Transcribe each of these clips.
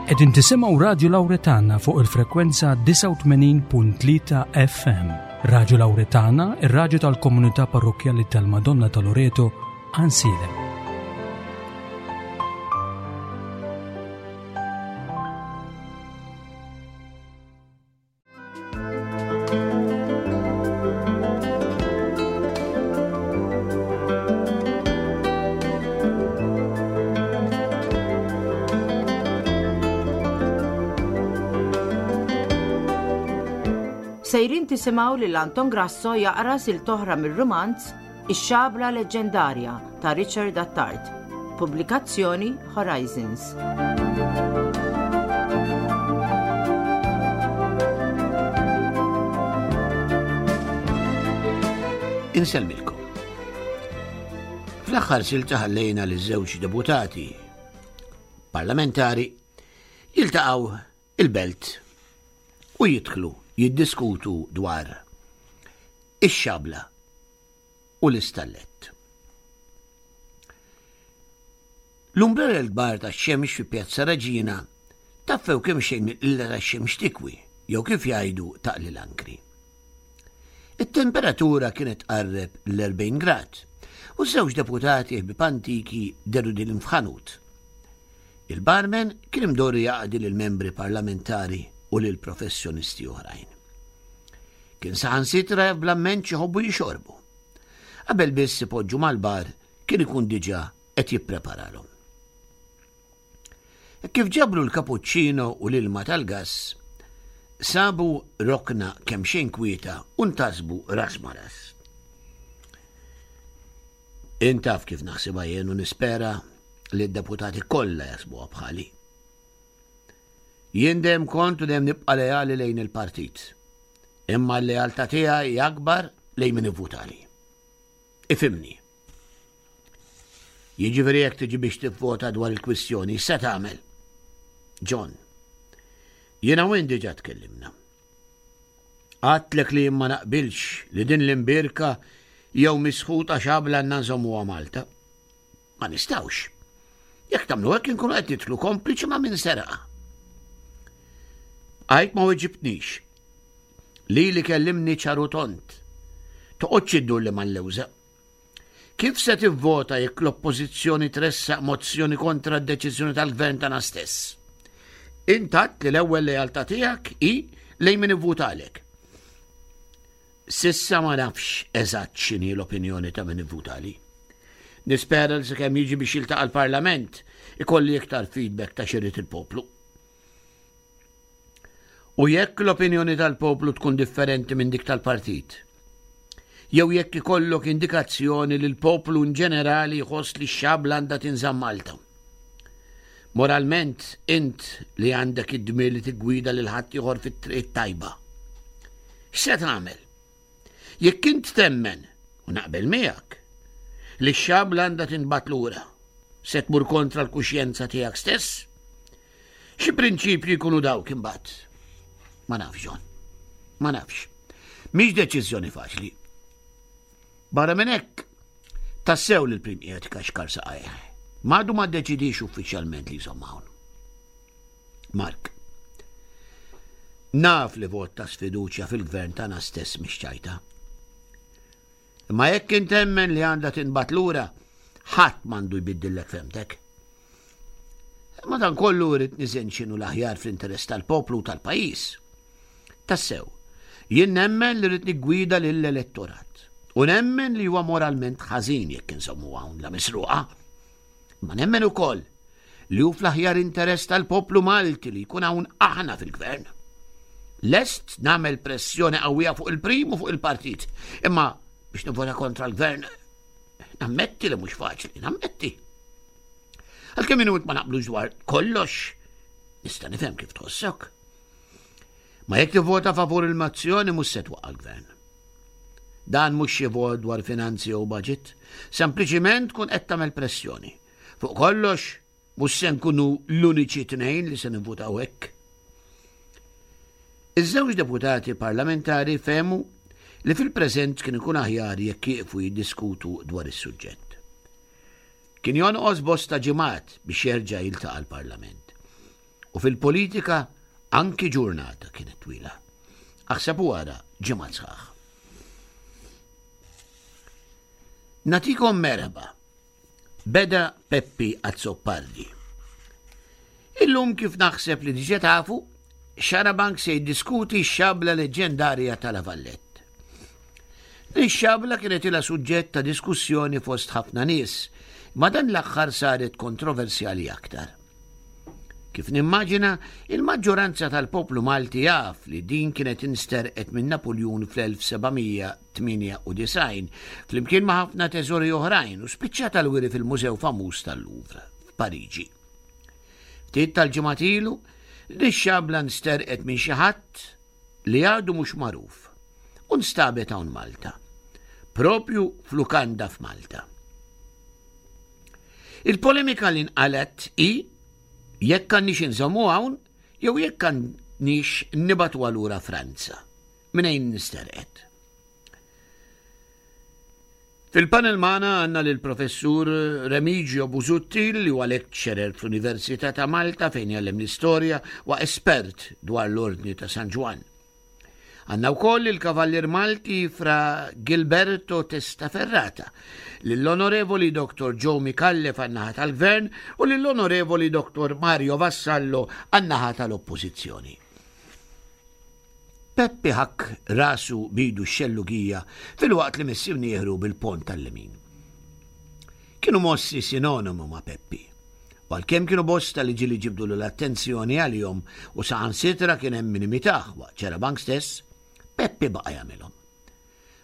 Qegħdin tisimgħu Radju Lawretana fuq il-frekwenza 89.3 FM. Radju Lawretana, ir-radju tal-komunità parrokkjali tal-Madonna ta' Loreto, Ansilem. Sejrin tisimgħu lil Anton Grasso jaqra silta oħra mir-rumanz Ix-Xabla Leġġendarja ta' Richard Attard. Pubblikazzjoni Horizons. Insellmilkom. Fl-aħħar silta ħallejna li żewġ deputati parlamentari jiltaqgħu il-belt u jidħlu jiddiskutu dwar ix-xabla u l-istallett. L-umbrella l-kbar tax-xemx fi Pjazza Reġina taffew kemm xejn il-qilla tax-xemx tikwi jew kif jgħidu taqli l-ankri. It-temperatura kienet tqarreb l-40 grad u żewġ deputati ħbieb antiki deru din f'ħanut. Il-barman kien imdorri jaqdi lill-membri parlamentari u lil professjonisti oħrajn. Kien saħansitra jaf bl-amment x'iħobbu jixorbu. Qabel biss ipoġġu mal-bar kien ikun diġà qed jippreparalhom. Kif ġabru l-kapuċċino u l-ilma tal-gass, sabu rokna kemm xejn kwieta u ntasbu ras ma ras. Int taf kif naħsibha jien u nispera li d-deputati kollha jaħsbuha bħali. Jien dejjem kont u dejjem nibqa' leali lejn il-partit. Imma l-lealtà tiegħi hi akbar lejn min ivvutali. Ifhimni. Jiġifieri jekk tiġi biex tivvota dwar il-kwistjoni, x'se tagħmel? John. Jiena u int diġà tkellimna. Għadtlek li jien ma naqbilx li din l-imbierka jew misħuta xabla għandna nżommuha Malta. Ma nistgħux. Jekk tagħmlu hekk inkunu qed nidħlu kompliċi ma' min seraqa. Għajt ma weġibtnix. Lili kellimni ċar u tond. Toqgħodx iddur li mal-lewża. Kif se tivvota jekk l-Oppożizzjoni tressaq mozzjoni kontra d-deċiżjoni tal-Gvern tagħna stess? Int għedt li l-ewwel lealtà tiegħek hi lejn min ivvutalek. S'issa ma nafx eżatt x'inhi l-opinjoni ta' min ivvutali. Nispera li sakemm jiġi biex jiltaqa' l-Parlament ikolli iktar feedback ta' x'irid il-poplu. U jekk l-opinjoni tal-poplu tkun differenti minn dik tal-partit? Jew jekk ikollok indikazzjoni li l-poplu in ġenerali jħoss li x-xabla għandha tinżamm Malta? Moralment, int li għandek id-dmir li tiggwida lil ħaddieħor fit-triq it-tajba. X'se tagħmel? Jekk int temmen, u naqbel miegħek, li x-xabla għandha tinbagħat lura, se tmur kontra l-kuxjenza tiegħek stess? Xi prinċipji jkunu dawk imbagħad? Ma nafx, John. Ma nafx. Mhix deċiżjoni faċli. Barra minn hekk, tassew li l-prim qiegħed ikaxkar saqajh. M'għadu ma ddeċidix uffiċjalment li jżomm hawn. Mark. Naf li vot ta' sfiduċja fil-gvern tagħna stess mhix ċajta. Imma jekk int temmen li għandha tinbagħat lura, ħadd m'għandu jbiddillek femtek. Madankollu rrid niżen x'inhu l-aħjar fl-interess tal-poplu u tal-pajjiż. Tassew, jien nemmen li rrid niggwida lill-elettorat. U nemmen li huwa moralment ħażin jekk insommu hawn la misruqa. Ma nemmen ukoll li hu fl-aħjar interess tal-poplu Malti li jkun hawn aħna fil-gvern. Lest nagħmel pressjoni qawwija fuq il-prim u fuq il-partit, imma biex nivvota kontra l-gvern nammetti li mhux faċli, nammetti. Għalkemm minut ma naqblux dwar kollox, nista' nifhem kif tħossok. Ma jekk tivvota favur il-mozzjoni mhux se twaqqa' l-gvern. Dan mhux xi vot dwar finanzi jew budget, sempliċiment tkun qed tagħmel pressjoni. Fuq kollox, mhux se nkunu l-uniċi tnejn li se nivvutaw hekk. Iż-żewġ deputati parlamentari fehmu li fil-preżent kien ikun aħjar jekk jieqfu jiddiskutu dwar is-suġġett. Kien jonqos bosta ġimgħat biex jerġa' jiltaqa' l-Parlament. U fil-politika anki ġurnata kienet twila. Aħseb u ara ġimgħat sħaħ. Natikom merħba. Beda Peppi Azzopardi. Illum kif naħseb li diġa tafu, Xarabank se jiddiskuti x-xabla leġġendarja ta' La Vallette. Din xabla kienet ilha suġġett ta' diskussjoni fost ħafna nies, ma dan l-aħħar saret kontroversjali aktar. Kif nimmaġina, il-maġġoranza tal-poplu Malti jaf li din kienet insterqet minn Napuljun fl-1798 flimkien ma' ħafna teżori oħrajn u spiċċat għall-wiri fil-Mużew famuż tal-Louvre f'Pariġi. Ftit tal-ġimgħat ilu, din ix-xabla nsterqet minn xi ħadd li għadu mhux magħruf u nstabet hawn Malta, propju f'lukanda f'Malta. Il-polemika li nqalgħet hi jekk għandniex inżommu hawn jew jekk għandniex nibagħtuha lura Franza, mnejn nsterqet. Fil-panel magħna għandna lill-Professur Remigio Busuttil li huwa lecturer fl-Università ta' Malta fejn jgħallem l-istorja u espert dwar l-Ordni ta' San Ġwann. Għandna wkoll il-Kavallier Malti Fra Gilberto Testaferrata, lill-Onorevoli Dr. Joe Micallef għan-naħa tal-Gvern u lill-Onorevoli Dr. Mario Vassallo għan-naħa tal-Oppożizzjoni. Peppi ħakk rasu bidu x-xellugija filwaqt li miss imnieħru bil-pont tal-lemin. Kienu mossi sinonimu ma' Peppi. U għalkemm kienu bosta li ġieli ġibdulu l-attenzjoni għalihom u saħansitra kien hemm min imitah waqt xarabank stess, Peppi baqa' jagħmilhom.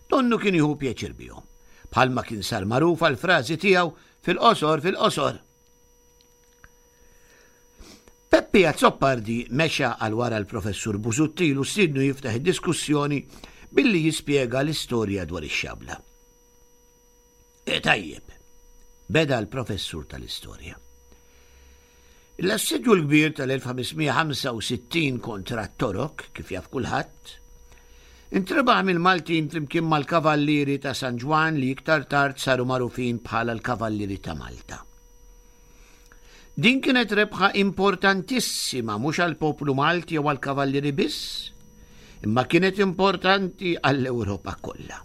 Donnu kien jieħu pjaċir bihom, bħalma kien sar magħruf għall-frażi tiegħu fil-qosor fil-qosor. Peppi Azzopardi mexa għal wara l-Professur Busuttil u stiednu jiftaħ id-diskussjoni billi jispjega l-istorja dwar ix-xabla. E tajjeb, beda l-professur tal-istorja. L-assedju l-kbir tal-1565 kontra t-Torok, kif jaf kulħadd, intrebaħ mill-Maltin flimkien mal-Kavallieri ta' San Ġwann li iktar tard saru magħrufin bħala l-Kavallieri ta' Malta. Din kienet rebħa importantissima mhux għall-poplu Malti jew għall-Kavallieri biss, imma kienet importanti għall-Ewropa kollha.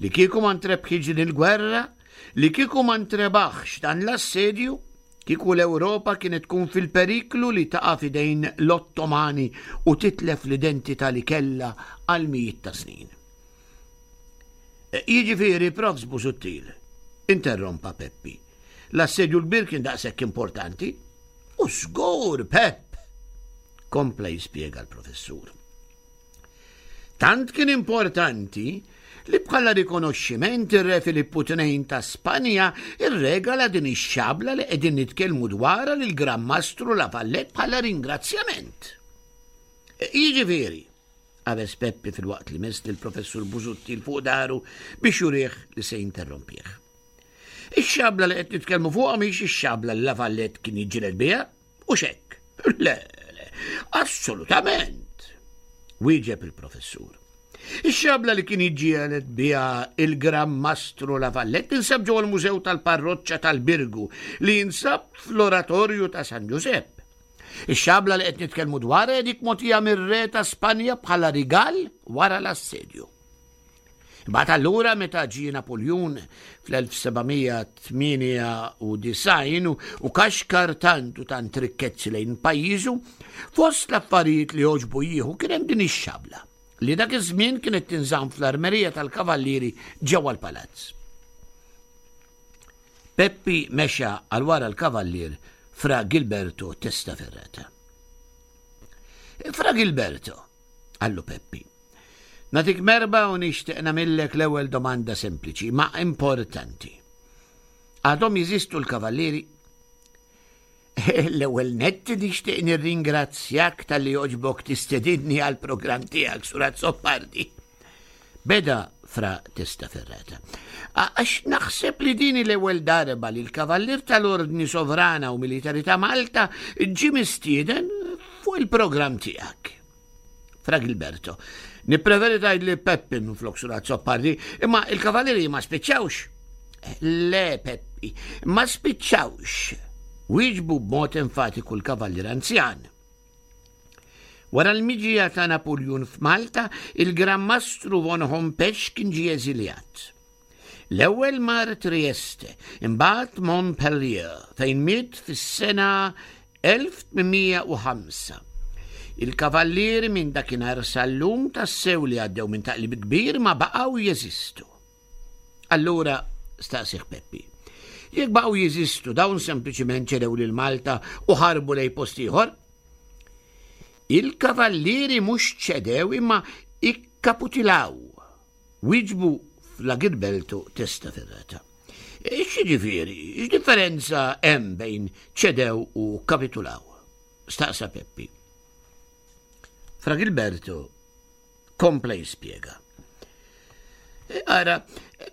Li kieku ma ntrebħitx din il-gwerra, li kieku ma ntrebaħx dan l-assedju, kieku l-Ewropa kienet tkun fil-periklu li taqa' f'idejn l-Ottomani u titlef l-identità li kellha għal mijiet ta' snin. E, jiġifieri, Profs Busuttil, interrompa Peppi. L-assedju l-kbir kien daqshekk importanti. U żgur, Pepp! Kompla jispjega l-professur. Tant kien importanti li bħala rikonoxximent ir-Re Filippu II ta' Spanja irregala din ix-xabla li qegħdin nitkellmu dwarha lil Gran Mastru La Valette bħala ringrazzjament. Jiġifieri, qabeż Peppi filwaqt li mess lill-Professur Busuttil fuq daru biex jurih li se jinterrompih. Ix-xabla li qed nitkellmu fuqha mhix ix-xabla li La Valette kien jiġġieled biha, U xekk? Le, le, assolutament, wieġeb il-professur. Ix-xabla li kien jiġġieled biha il-Gran Mastru La Vallette tinsab ġewwa l-Mużew tal-Parroċċa tal-Birgu li jinsab fl-Oratorju ta' San Ġużepp. Ix-xabla li qed nitkellmu dwarha dik mogħtija mir-re ta' Spanja bħala rigal wara l-assedju. Imbagħad allura meta ġie Napuljun fl-1798 u kaxkar tant u tant rikkezzi lejn pajjiżu, fost l-affarijiet li għoġbu jieħu kien hemm din ix-xabla li dak iż-żmien kienet tinżamm fl-armerija tal-kavallieri ġewwa l-palazz. Peppi mexa għal wara l-kavallier Fra Gilberto Testaferrata. Fra Gilberto, qallu Peppi, Nagħtik merba u nixtieq nagħmillek l-ewwel domanda sempliċi, ma importanti. Għadhom jeżistu l-kavallieri? L-ewwel nett nixtieq nirringrazzjak talli għoġbok tistedinni għall-programm tiegħek Sur Azzopardi. Beda fra Testaferrata. Għax naħseb li din l-ewwel darba li l-Kavallier tal-Ordni Sovrana u Militari ta' Malta ġie mistieden fuq il-programm tiegħek. Fra Gilberto, nippreferi tgħidli Peppi minflok Sur Azzopardi, imma il-kavallieri ma spiċċawx. Le, Peppi, ma spiċċawx. Wieġbu b'mod enfatiku l-Kavallier Anzjan. Wara l-miġija ta' Napuljun f'Malta, il-Gran Mastru von Hompesch kien ġie eżiljat. L-ewwel mar Trieste, imbagħad Montpellier, fejn miet fis-sena 1805. Il-kavallieri minn dakinhar sal-lum tassew li għaddew minn taqlib kbir ma baqgħu jeżistu. Allura, staqsih Peppi, jekk baqgħu jeżistu dawn sempliċiment ċedew lil Malta u ħarbu lej post ieħor? Il-kavallieri mhux ċedew imma ikkaputilaw. Wieġbu fl-Agilbelto Testaferrata. X'jiġifieri, x'differenza hemm bejn ċedew u kapitulaw? Staqsa Peppi. Fra Gilberto kompla jispjega. E, ara,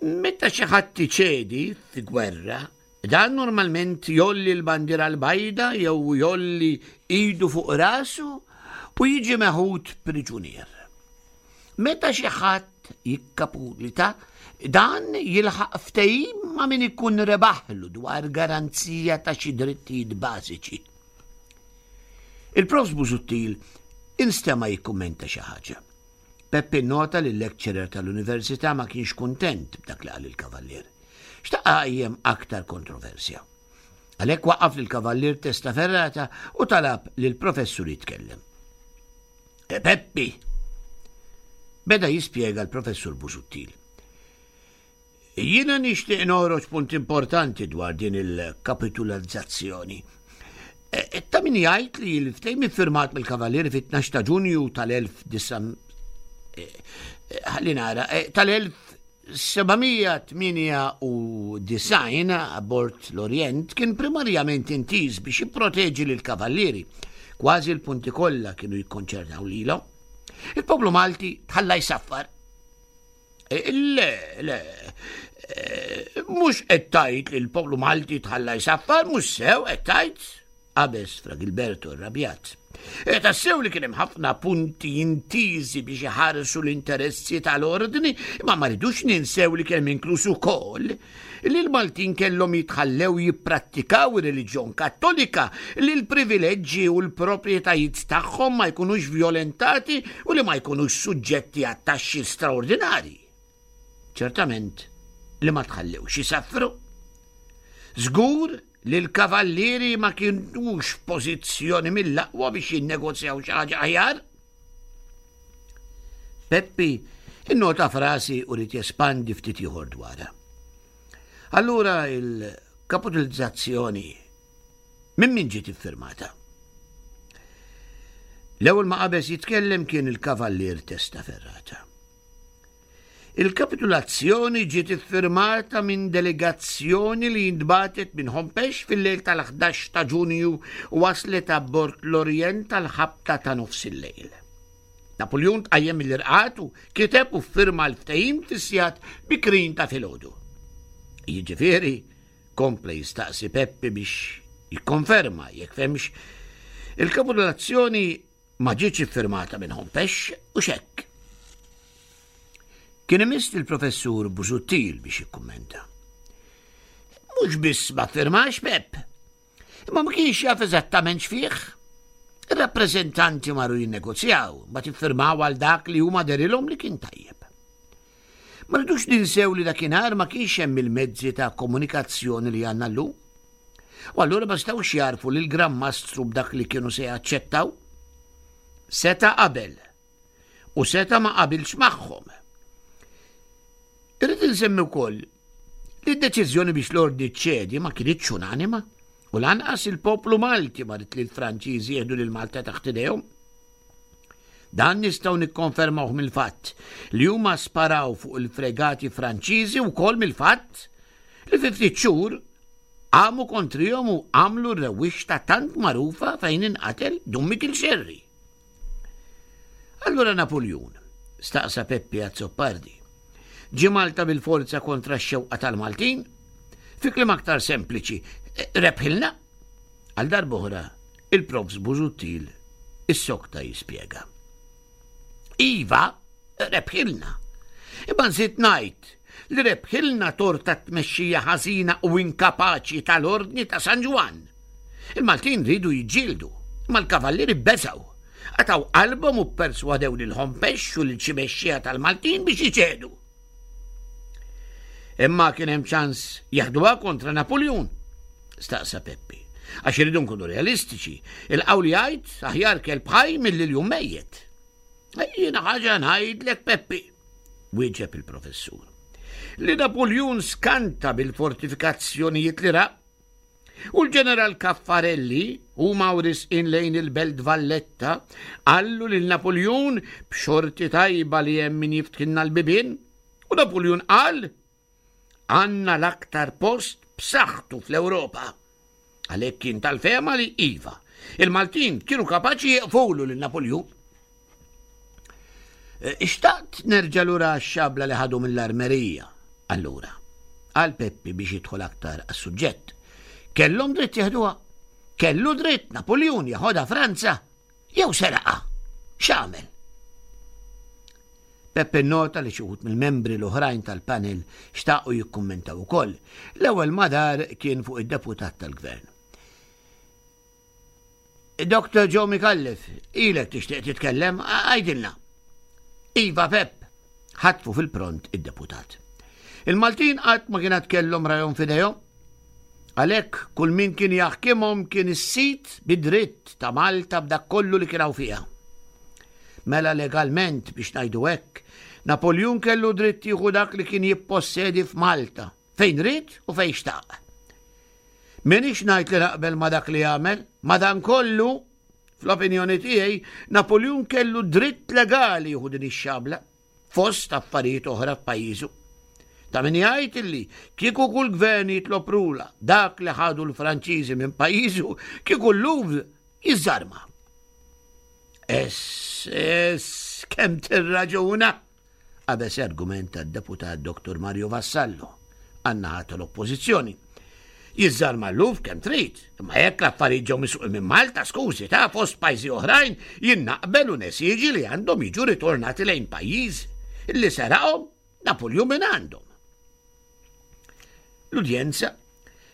meta xi ħadd iċedi fi gwerra, dan normalment jolli l-bandiera l-bajda jew jolli idu fuq rasu u jiġi meħud priġunier. Meta xi ħadd jikkapulita, dan jilħaq ftehim ma' min ikun rebaħlu dwar garanzija ta' xi drittijiet bażiċi. Il-Profs Busuttil instema' jikkummenta xi ħaġa. Peppi nnota li l-lecturer tal-università ma kienx kuntent b'dak li qal il-kavallier. Xtaq qajjem aktar kontroversja. Għalhekk waqqaf lill-kavallier Testaferrata u talab lill-professur jitkellem. E Peppi! Beda jispjega l-professur Busuttil. Jiena nixtieq noħroġ punt importanti dwar din il-kapitulazzazzjoni. E, e, ta' min jgħid li l-ftehim iffirmat mill-Kavallieri fit-12 ta' Ġunju tal-19 e, ħalli nara, tal-1798 abbord l-Orient kien primarjament intiż biex jipproteġi lill-Kavallieri. Kważi l-punti kollha kienu jikkonċernaw lilhom. Il-poplu Malti tħalla jsaffar. Eh, le, le, eh, mhux qed tgħid li l-poplu Malti tħalla jsaffar, mhux sew qed tgħid, qabeż Fra Gilberto rrabjat. E tassew li kien hemm ħafna punti intiżi biex iħarsu l-interessi tal-ordni, imma ma rridux ninsew li kien hemm inkluż ukoll li l-Maltin kellhom jitħallew jipprattikaw ir-reliġjon Kattolika, li l-privileġġi u l-proprjetajiet tagħhom ma jkunux vjolentati u li ma jkunux suġġetti għat taxxi straordinarji. Ċertament li ma tħallewx isaffru. Żgur li l-kavallieri ma kienux f'pożizzjoni mill-aqwa biex jinnegozjaw xi ħaġa aħjar. Peppi innota frasi u rid jespandi ftit ieħor dwarha. Allura il-kapitalizzazzjoni minn min ġiet iffirmata? L-ewwel ma qabeż jitkellem kien il-kavallier Testaferrata. Il-kapitulazzjoni ġiet iffirmata minn delegazzjoni li ntbagħtet minn Hompesch fil-lejl tal-11 ta' Ġunju u waslet abbord l-Orient għall-ħabta ta' nofsillejl. Napuljun tqajjem mill-irqad u kiteb u ffirma l-ftehim fis-sigħat bikrin ta' filgħodu. Jiġifieri, kompla jistaqsi Peppi biex jikkonferma jekk fehmx, il-kapitulazzjoni Ma ġietx iffirmata minn Hompesch u x'hekk. Kien imiss lill-Professur Busuttil biex jikkummenta. Mhux biss ma ffirmax Pep, imma ma kienx jaf eżattament x'fih. Ir-rappreżentanti marru jinnegozjaw, ma tiffirmaw għal dak li huma derilhom li kien tajjeb. Ma rridux ninsew li dakinhar ma kienx hemm il-mezzi ta' komunikazzjoni li għandna llum. U allura ma setgħux jagħrfu lil Gran Mastru b'dak li kienu se jaċċettaw. Seta' qabel u seta' ma qabilx magħhom. Irrid insemmi wkoll li d-deċiżjoni biex l-ordni ċedi ma kinitx unanima u lanqas il-poplu Malti ma rid li l-Franċiżi jieħdu lil Malta taħt idejhom. Dan nistgħu nikkonfermawh mill-fatt li huma sparaw fuq il-fregati Franċiżi wkoll mill-fatt li fi ftit xhur qamu kontrihom u għamlu r-rewwixta tant magħrufa fejn inqatel Dun Mikil Xerri. Allura Napuljun, staqsa Peppi Azzopardi, ġie Malta bil-forza kontra x-xewqa tal-Maltin? Fi kliem aktar sempliċi, rebħilna? Għal darb'oħra, il-Profs Busuttil issokta jispjega. Iva, rebħilna. Imma nżid ngħid li rebħilna tort tat-tmexxija ħażina u inkapaċi tal-Ordni ta' San Ġwann. Il-Maltin riedu jiġġieldu, imma l-kavallieri beżgħu. Qatgħu qalbhom u pperswadew lil Hompesch u lil xi mexxija tal-Maltin biex iċedu. Imma kien hemm ċans jaħduha kontra Napuljun? Staqsa Peppi. Għax irridu nkunu realistiċi, il-qawl jgħid aħjar kelb ħaj milli ljun mejjet. Jiena ħaġa ngħidlek Peppi, wieġeb il-professur. Li Napuljun skanta bil-fortifikazzjonijiet li ra U l-ġeneral Caffarelli, huma u risqin lejn il-Belt Valletta, qallu lil Napuljun b'xorti tajba li hemm min jiftħilna l-bibien, u Napuljun qal, Għandna l-aktar post b'saħħtu fl-Ewropa. Għalhekk kien tal-fehma li iva, il-Maltin kienu kapaċi jieqfulu lil Napuljun. Eh, ixtaqt nerġa' lura għax-xabla li ħadu mill-armerija. Allura, qal Peppi biex jidħol aktar għas-suġġett. Kellhom dritt jeħduha. Kellu dritt Napoljun jeħodha Franza jew seraqa. X'għamel? Peppe nota li xi wħud mill-membri l-oħrajn tal-panel xtaqu jikkummentaw ukoll. L-ewwel madar kien fuq id-deputat tal-gvern. Dr. Joe Micallef, ilek tixtieq titkellem, għajdilna. Iva Pep, ħatfu fil-pront id-deputat. Il-Maltin qatt ma kien kellhom rajhom f'idejhom. Għalhekk kull min kien jaħkimhom kien is-sid bid-dritt ta' Malta b'dak kollu li kien hawn fiha. Mela legalment biex ngħidu hekk, Napoljun kellu dritt jieħu dak li kien jippossedi f'Malta, fejn ried u fejn xtaq. M'iniex ngħid li naqbel ma' dak li għamel, madankollu, fl-opinjoni tiegħi, Napuljun kellu dritt legali jieħu din ix-xabla, fost affarijiet oħra f'pajjiżu. Ta' min jgħid illi kieku kull gvern jitlob rula dak li ħadu l-Franċiżi minn pajjiżu, kieku l-Louvre jiżżarma. Ess, ess, kemm tirraġuna! Qabeż argumenta d-Deputat Dottor Mario Vassallo għan-naħa tal-Oppożizzjoni. Jiżżarma l-luf kemm trid, imma jekk l-affarijiet ġew misruqin minn Malta, skużi, ta' fost pajjiżi oħrajn, jien naqbel u nesiġi li għandhom jiġu ritornati lejn pajjiż li seraqhom Napuljun minn għandhom. L-udjenza,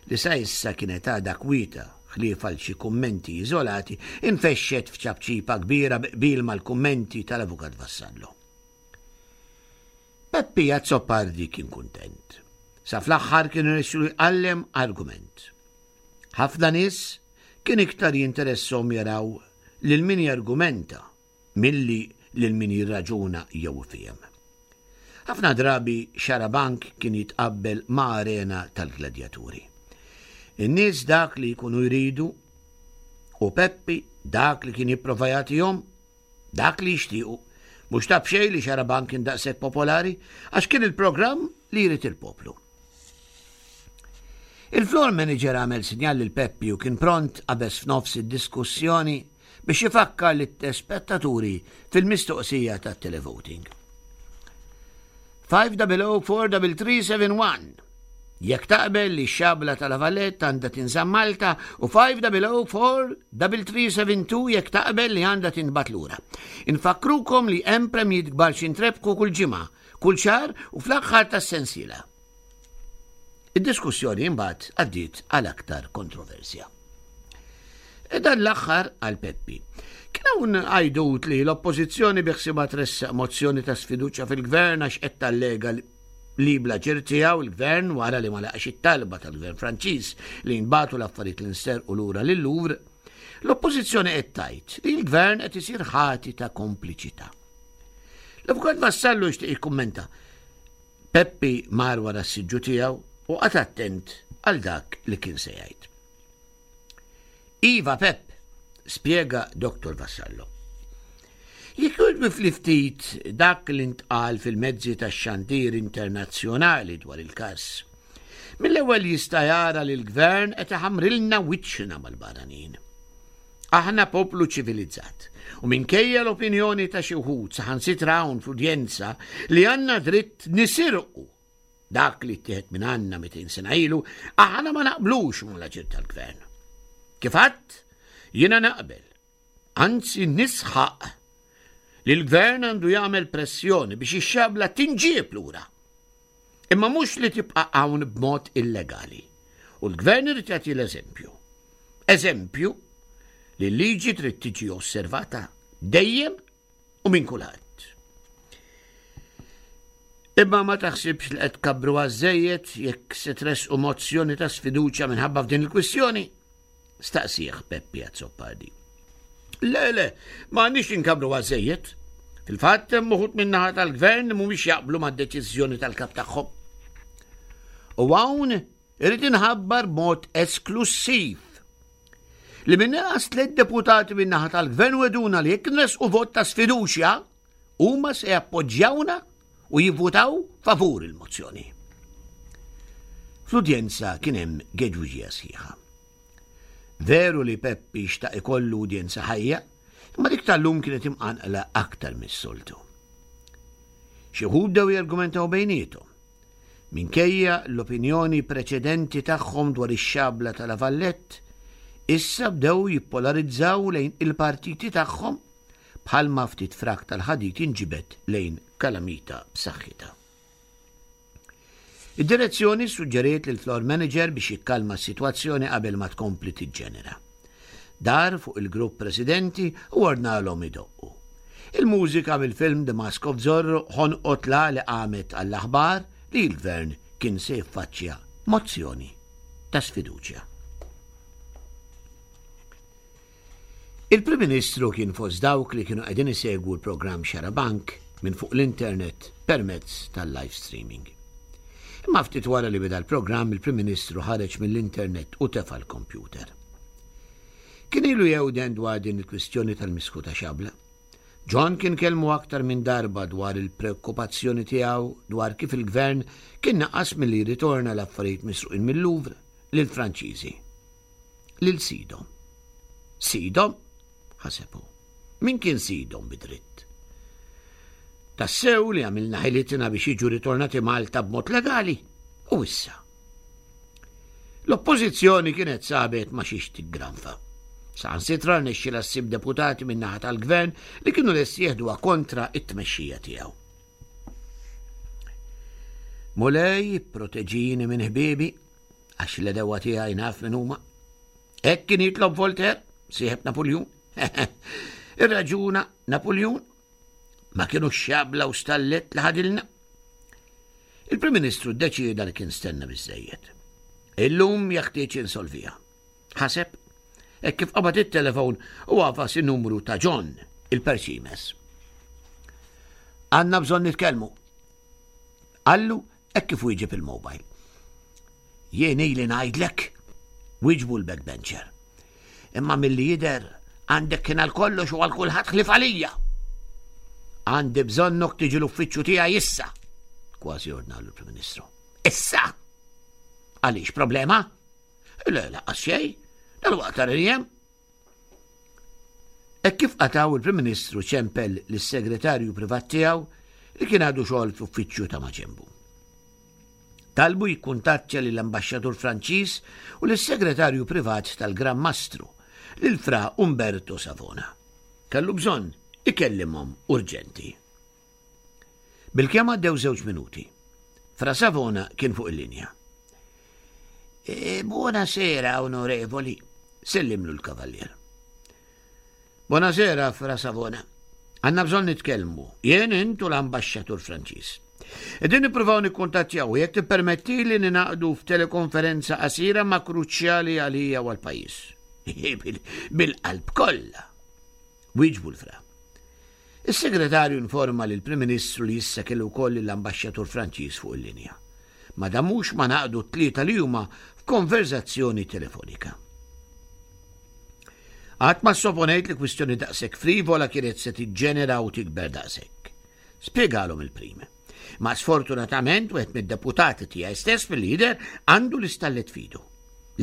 li sa issa kienet għadha kwieta ħlief għal xi kummenti iżolati, infexxet f'ċapċipa kbira bi qbil mal-kummenti tal-Avukat Vassallo. Peppi Azzopardi kien kuntent. Sa fl-aħħar kien irnexxielu jqallem argument. Ħafna nies kien iktar jinteresshom jaraw lil min jargumenta milli lil min jirraġuna jew ifiehem. Ħafna drabi Xarabank kien jitqabbel ma' arena tal-gladjaturi. In-nies dak li jkunu jridu u Peppi dak li kien jipprova jagħtihom Dak li jixtiequ. Mhux ta' b'xejn li Xarabank kien daqshekk popolari, għax kien il-programm li jrid il-poplu. Il-floor manager għamel sinjal lil Peppi u kien pront qabeż f'nofs id-diskussjoni biex ifakkar lit-tespettaturi fil-mistoqsija tat-televoting. 5004371 Jekk taqbel li x-xabla ta' La Valette għandha tinżamm Malta u 5004372 jekk taqbel li għandha tinbagħat lura. Infakkrukom li hemm premjiet kbar x'intrebħu kull ġimgħa, kull xahar u fl-aħħar tas-sensiela. Id-diskussjoni imbagħad għaddiet għal aktar kontroversja. E dan l-aħħar għal Peppi. Kien hawn għajdut li l-Oppożizzjoni biħsiebha tressaq mozzjoni ta' sfiduċja fil-Gvern għax qed tallega li bl-aġir tiegħu l-Gvern wara li ma laqax it-talba tal-Gvern Franċiż li jinbagħtu l-affarijiet li nsterqu lura lil Louvre, l-Oppożizzjoni qed tgħid li l-Gvern qed isir ħati ta' kompliċità. L-Avukat Vassallo jixtieq jikkummenta. Peppi mar wara s-siġġu tiegħu u qagħad attent għal dak li kien se jgħid. Iva Pepp, spjega Dottor Vassallo. Jekk jogħġbu ftit dak li ntqal fil-mezzi tax-xandir internazzjonali dwar il-każ, mill-ewwel jista' jara li l-gvern qed iħammrilna wiċċna mal-barranin. Aħna poplu ċivilizzat u minkejja l-opinjoni ta' xi wħud saħansitra hawn fl-udjenza li għandna dritt nisirqu Dak li ttieħed minn għandna 200 sena ilu, aħna ma naqblux mal-aġir tal-gvern. Kif għadt, jiena naqbel, anzi nisħaq li l-gvern għandu jagħmel pressjoni biex ix-xabla tinġieb lura. Imma mhux li tibqa' hawn b'mod illegali. U l-gvern irid jagħti l-eżempju. Eżempju li l-liġi trid tiġi osservata dejjem u minn kulħadd. Imma ma taħsibx li qed tkabbru għażejjed jekk se tressqu mozzjoni ta' sfiduċja minħabba f'din il-kwistjoni? Staqsih Peppi Azzopardi. Le, le, ma għandniex inkabru għażejjed. Fil-fatt hemm uħud min-naħa tal-gvern li mhumiex jaqblu mad-deċiżjoni tal-kap tagħhom. U hawn irid inħabbar b'mod esklussiv li minn inqas tliet deputati minn naħa tal-gvern weduna li jekk nresqu vot ta' sfiduċja huma se jappoġġjawna u jivvutaw favur il-mozzjoni. Fl-udjenza kien hemm geġuġija sħiħa. Veru li Peppi xtaq ikollu udjenza ħajja, imma dik tal-lum kienet imqanqla aktar mis-soltu. Xi wħud bdew jargumentaw bejniethom. Minkejja l-opinjoni preċedenti tagħhom dwar ix-xabla ta' La Vallette, issa bdew jippolarizzaw lejn il-partiti tagħhom bħalma ftit frak tal-ħadid jinġibed lejn kalamita b'saħħitha. Id-direzzjoni ssuġġeriet lill-floor manager biex jikkalma s-sitwazzjoni qabel ma tkompli tiġġenera. Dar fuq il-grupp presidenti u ordnalhom idoqqu. Il-mużika mill-film The Mask of Zorro ħonqot la li qamet għall-aħbar li l-gvern kien se jiffaċċja mozzjoni ta' sfiduċja. Il-Prim Ministru kien fost dawk li kienu qegħdin isegwu l-programm Xarabank minn fuq l-internet permezz tal-live streaming. Imma ftit wara li beda l-programm il-Prim Ministru ħareġ mill-internet u tefa' l-kompjuter. Kien ilu jewden dwar din il-kwistjoni tal-misħuta xabla. John kien kellmu aktar minn darba dwar il-preokkupazzjoni tiegħu dwar kif il-gvern kien naqas milli jirritorna l-affarijiet misruqin mil-Louvre lill-Franċiżi. Lil sidhom. Sidhom? Ħaseb hu. Min kien sidhom bi dritt? Tassew li għamilna ħilitna biex jiġu ritornati Malta b'mod legali u issa. L-Oppożizzjoni kienet sabet ma xiex tiggranfa. Saħansitra rnexxielha ssib deputati min-naħa tal-Gvern li kienu lesti jeħduha kontra t-tmexxija tiegħu. Mulej, proteġini minn ħbiebi, għax l-edewa tiegħi naf minn huma. Hekk kien jitlob Voltaire, sieħeb Napoljun. Irraġuna Napoljun ma kienu xabla u stallet li ħadilna. Il-Prim Ministru ddeċieda li kien stenna biżżejjed. Illum jeħtieġ insolviha. Ħaseb, hekk kif qabad it-telefon u għafas in-numru ta' John, il-Perċimes. Għandna bżonn nitkellmu. Qallu hekk kif wieġeb il-mobile. Jien ili ngħidlek, wieġbu l-backbencher. Imma milli jidher għandek kien għal kollox u għal kulħadd ħlief għalija. Għandi bżonnok tiġi l-uffiċċju tiegħi issa. Kważi ordnalu l-Prim Ministru. Issa! Għaliex problema? Le, laqqas xejn. Dal-waqt jem. Hekk kif qatgħu il-Prim Ministru ċempel lis-segretarju privat tiegħu li kien għadu xogħol fl-uffiċċju ta' maġenbu. Talbu jikkuntattja lill-Ambaxxatur Franċiż u lis-Segretarju Privat tal-Gran Mastru, lil Fra Umberto Savona. Kellu bżonn ikellimhom urġenti. Bilkemm għaddew żewġ minuti. Fra Savona kien fuq il-linja. E, buonasera, onorevoli, sellimlu l-kavallier. Buonasera, Fra Savona. Għanna bżonn nitkellmu, jien int u l-ambaxxatur Franċiż. Qegħdin nippruvaw nikkuntattjaw jekk tippermettili ninaqdu f'telekonferenza qasira ma' kruċjali għalija u għall-pajjiż. Bil-qalb kollha. Wieġbu l-fra. Is-segretarju informa lill prim Ministru li issa kellu wkoll lill-ambaxxatur Franċiż fuq il-linja. Ma damux ma naqdu t-tlieta li huma f'konverzazzjoni telefonika. Qatt ma ssoponejt li kwistjoni daqshekk frivola kienet se tiġġenera u tikber daqshekk. Spjegalhom il-Prim. Ma sfortunatament wieħed mid-deputati tiegħi stess fil-lider għandu l-istallet fidu.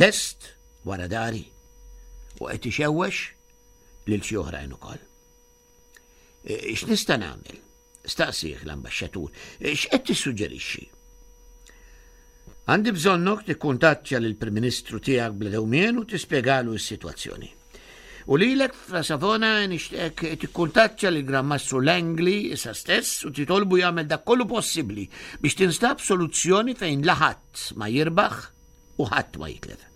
Lest wara dari u qed ixewwex lil xi oħrajn ukoll. E, x'nista' nagħmel? Staqsih l-ambaxxatur. E, x'qed tissuġġerixxi? Għandi bżonnok tikkuntattja lill-Prim Ministru tiegħek bla dewmien u tispjegalu s-sitwazzjoni. U lilek fra Savona nixtieq tikkuntattja lil Gran Mastru Langley issa stess u titolbu jagħmel dak kollu possibbli biex tinstab soluzzjoni fejn la ħadd ma jirbaħ u ħadd ma jitlef.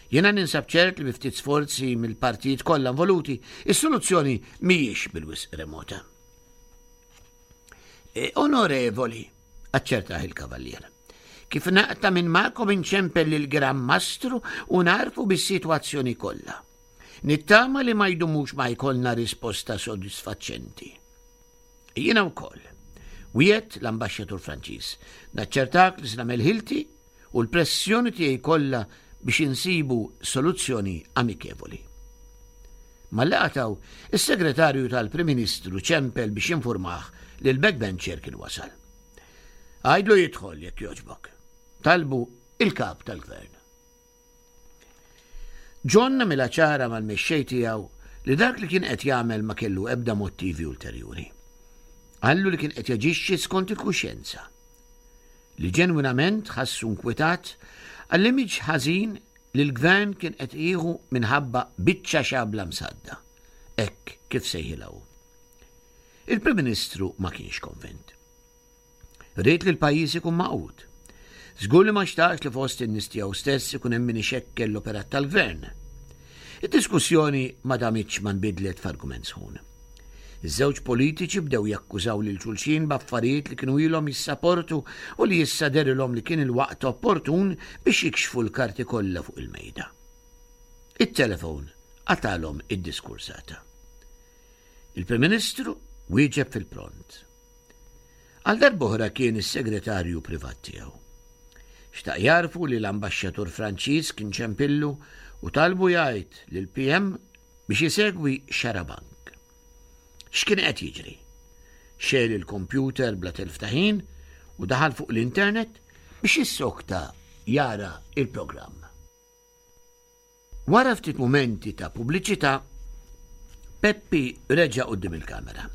Jiena ninsab ċert li bi ftit sforzi mill-partijiet kollha involuti, is-soluzzjoni mhijiex bil-wisq remota. E, onorevoli, aċċertah il-kavallier. Kif naqta' minn magħkom inċempel lil Gran Mastru u nagħrfu bis-sitwazzjoni kollha. Nittama li ma jdumux ma jkollna risposta sodisfaċenti. Jiena wkoll. Wiegħed l-ambaxxatur Franċiż. Naċċertak li se nagħmel ħilti u l-pressjoni tiegħi kollha biex insibu soluzzjoni amikevoli. Malli qatgħu, is-segretarju tal-Prim Ministru ċempel biex jinfurmah li l-backbencher kien wasal. Għidlu jidħol jekk jogħġbok. Talbu il-kap tal-gvern. John għamilha ċara mal-mexxej tiegħu li dak li kien qed jagħmel ma kellu ebda mottivi ulterjuri. Qallu li kien qed jaġixxi skont il-kuxjenza. Li ġenwinament ħassu nkwitat għall-image ħażin li l-gvern kien qed jieħu minħabba biċċa xabla msadda, hekk kif sejħilha hu. Il-Prim Ministru ma kienx konvint. Ried li l-pajjiż ikun magħqud. Żgur li ma xtaqx li fost in-nies tiegħu stess ikun hemm min ixekkel l-operat tal-gvern. Id-diskussjoni ma damitx ma nbidlet f'argument sħun. Iż-żewġ politiċi bdew jakkużaw lil xulxin b'affarijiet li kienu ilhom jissaportu u li issa dehrilhom li kien il-waqt opportun biex jikxfu l-karti kollha fuq il-mejda. It-telefon qatgħalhom id-diskursata. Il-Prim Ministru wieġeb fil-pront. Għal darb'oħra kien is-segretarju privat tiegħu. Xtaq jagħrfu li l-ambaxxatur Franċiż kien ċempillu u talbu jgħid lill-PM biex isegwi xarabank. X'kien qed jiġri? Xegħel il-kompjuter bla telf ta' ħin u daħal fuq l-internet biex jissokta jara il-programm. Wara ftit mumenti ta' pubbliċità, Peppi reġa' quddiem il-kamera.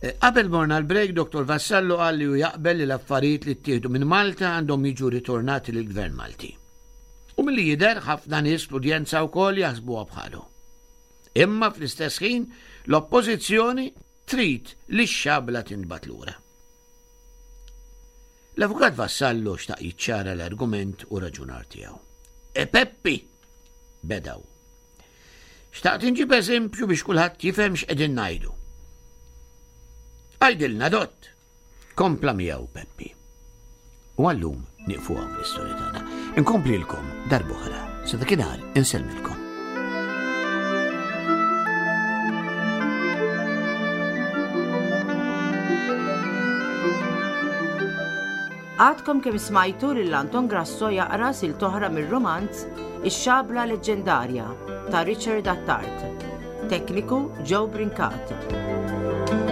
Eh, qabel morna l-break, Dr. Vassallo qal li hu jaqbel li l-affarijiet li ttieħdu minn Malta għandhom jiġu ritornati lill-Gvern Malti. U milli jidher ħafna nies fl-udjenza wkoll jaħsbuha bħalu. Imma fl-istess ħin l-oppożizzjoni trid li x-xabla tintbagħat lura. L-Avukat Vassallo xtaq jiċċara l-argument u raġunar tiegħu. E Peppi! Bedaw. Xtaqt inġib eżempju biex kulħadd jifhem x'qegħdin ngħidu. Għidilna dott! Kompla miegħu Peppi. U għallum nieqfu hawn l-istorja tagħna. Inkomplilkom darb'oħra. Sa dakinhar insellmilkom. Għadkom kemm smajtu lil Anton Grasso jaqra silta oħra mir-rumanz Ix-Xabla Leġġendarja ta' Richard Attard. Tekniku Joe Brincat.